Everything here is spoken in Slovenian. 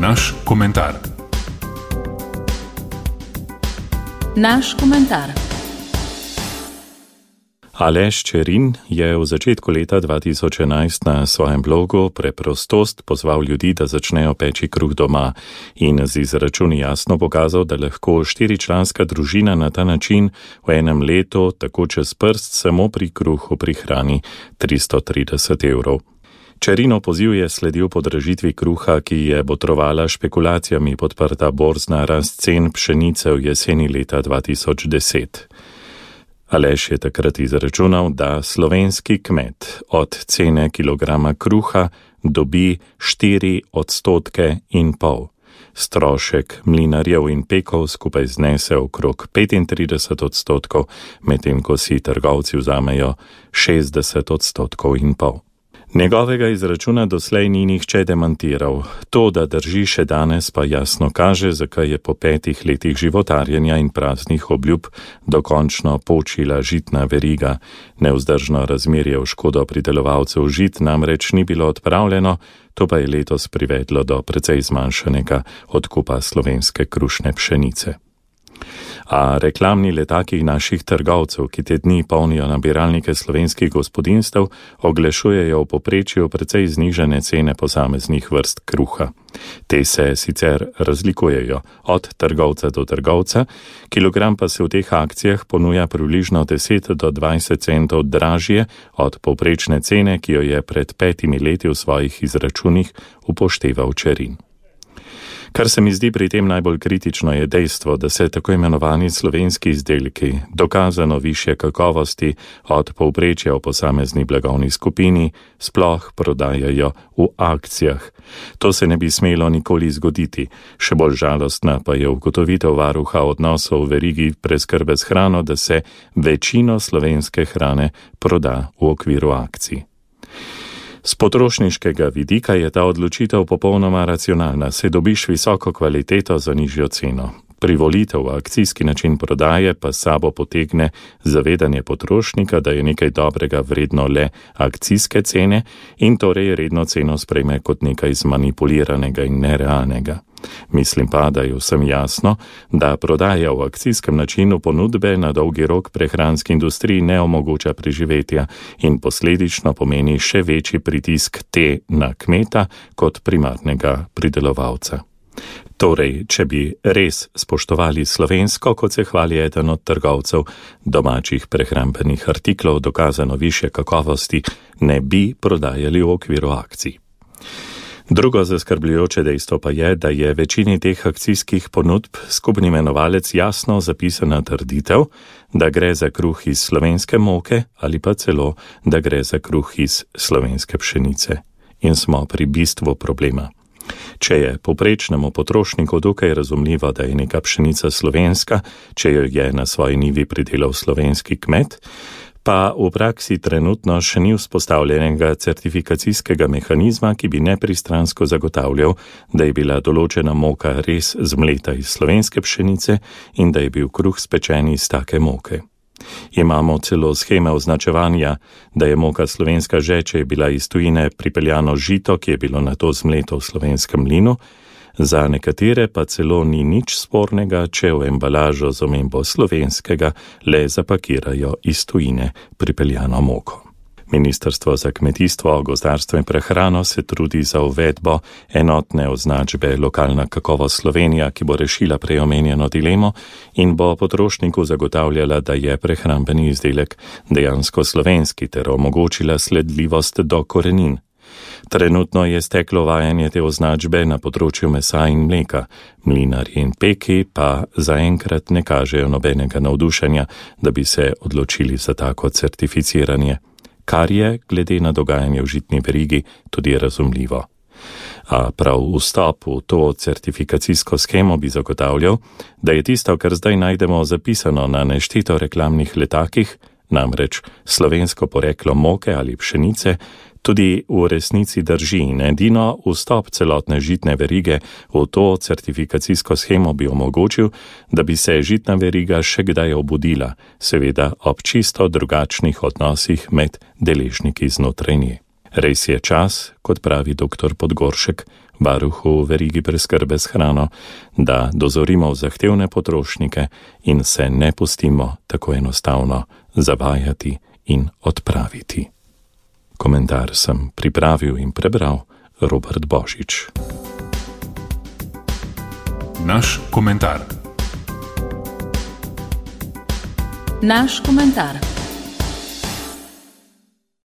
Naš komentar. Naš komentar. Aleš Čerin je v začetku leta 2011 na svojem blogu Preprostost pozval ljudi, da začnejo peči kruh doma in z izračuni jasno pokazal, da lahko 4-članska družina na ta način v enem letu tako čez prst samo pri kruhu prihrani 330 evrov. Čerinov poziv je sledil podražitvi kruha, ki je botrovala špekulacijami podprta borzna rast cen pšenice v jeseni leta 2010. Aleš je takrat izračunal, da slovenski kmet od cene kilograma kruha dobi 4,5 %. Strošek mlinarjev in pekov skupaj znese okrog 35 %, medtem ko si trgovci vzamejo 60,5 %. Njegovega izračuna doslej ni nihče demantiral. To, da drži še danes, pa jasno kaže, zakaj je po 5 letih životarjenja in praznih obljub dokončno počila žitna veriga. Nevzdržno razmerje v škodo pridelovalcev žit namreč ni bilo odpravljeno, to pa je letos privedlo do precej zmanjšanega odkupa slovenske krušne pšenice. A reklamni letaki naših trgovcev, ki te dni polnijo nabiralnike slovenskih gospodinjstev, oglašujejo v povprečju precej znižane cene posameznih vrst kruha. Te se sicer razlikujejo od trgovca do trgovca, kilogram pa se v teh akcijah ponuja približno 10 do 20 centov dražje od povprečne cene, ki jo je pred 5 leti v svojih izračunih upošteval Čerin. Kar se mi zdi pri tem najbolj kritično je dejstvo, da se tako imenovani slovenski izdelki dokazano višje kakovosti od povprečja v posamezni blagovni skupini sploh prodajajo v akcijah. To se ne bi smelo nikoli zgoditi. Še bolj žalostna pa je ugotovitev varuha odnosov v verigi preskrbe s hrano, da se večino slovenske hrane proda v okviru akcij. Z potrošniškega vidika je ta odločitev popolnoma racionalna, saj dobiš visoko kvaliteto za nižjo ceno. Privolitev v akcijski način prodaje pa s sabo potegne zavedanje potrošnika, da je nekaj dobrega vredno le akcijske cene in torej redno ceno sprejme kot nekaj zmanipuliranega in nerealnega. Mislim pa, da je vsem jasno, da prodaja v akcijskem načinu ponudbe na dolgi rok prehranski industriji ne omogoča preživetja in posledično pomeni še večji pritisk te na kmeta kot primarnega pridelovalca. Torej, če bi res spoštovali slovensko, kot se hvali eden od trgovcev domačih prehrambenih artiklov dokazano višje kakovosti, ne bi prodajali v okviru akcij. Drugo zaskrbljujoče dejstvo pa je, da je večini teh akcijskih ponudb skupni imenovalec jasno zapisana trditev, da gre za kruh iz slovenske moke ali pa celo, da gre za kruh iz slovenske pšenice. In smo pri bistvu problema. Če je povprečnemu potrošniku dokaj razumljivo, da je neka pšenica slovenska, če jo je na svoji njivi pridelal slovenski kmet, pa v praksi trenutno še ni vzpostavljenega certifikacijskega mehanizma, ki bi nepristransko zagotavljal, da je bila določena moka res zmleta iz slovenske pšenice in da je bil kruh spečen iz take moke. Imamo celo sheme označevanja, da je moka slovenska že, če je bila iz tujine pripeljano žito, ki je bilo nato zmleto v slovenskem mlinu, za nekatere pa celo ni nič spornega, če v embalažo z omembo slovenskega le zapakirajo iz tujine pripeljano moko. Ministrstvo za kmetijstvo, gozdarstvo in prehrano se trudi za uvedbo enotne označbe Lokalna kakovost Slovenija, ki bo rešila prej omenjeno dilemo in bo potrošniku zagotavljala, da je prehrambeni izdelek dejansko slovenski ter omogočila sledljivost do korenin. Trenutno je steklo vajanje te označbe na področju mesa in mleka, mlinarji in peki pa zaenkrat ne kažejo nobenega navdušenja, da bi se odločili za tako certificiranje, kar je, glede na dogajanje v žitni verigi, tudi razumljivo. A prav vstop v to certifikacijsko shemo bi zagotavljal, da je tisto, kar zdaj najdemo zapisano na nešteto reklamnih letakih, namreč slovensko poreklo moke ali pšenice, tudi v resnici drži in edino vstop celotne žitne verige v to certifikacijsko shemo bi omogočil, da bi se žitna veriga še kdaj obudila, seveda ob čisto drugačnih odnosih med deležniki znotraj nje. Res je čas, kot pravi dr. Podgoršek, varuhu verigi preskrbe s hrano, da dozorimo zahtevne potrošnike in se ne pustimo tako enostavno zavajati in odpraviti. Komentar sem pripravil in prebral Robert Božič. Naš komentar. Naš komentar.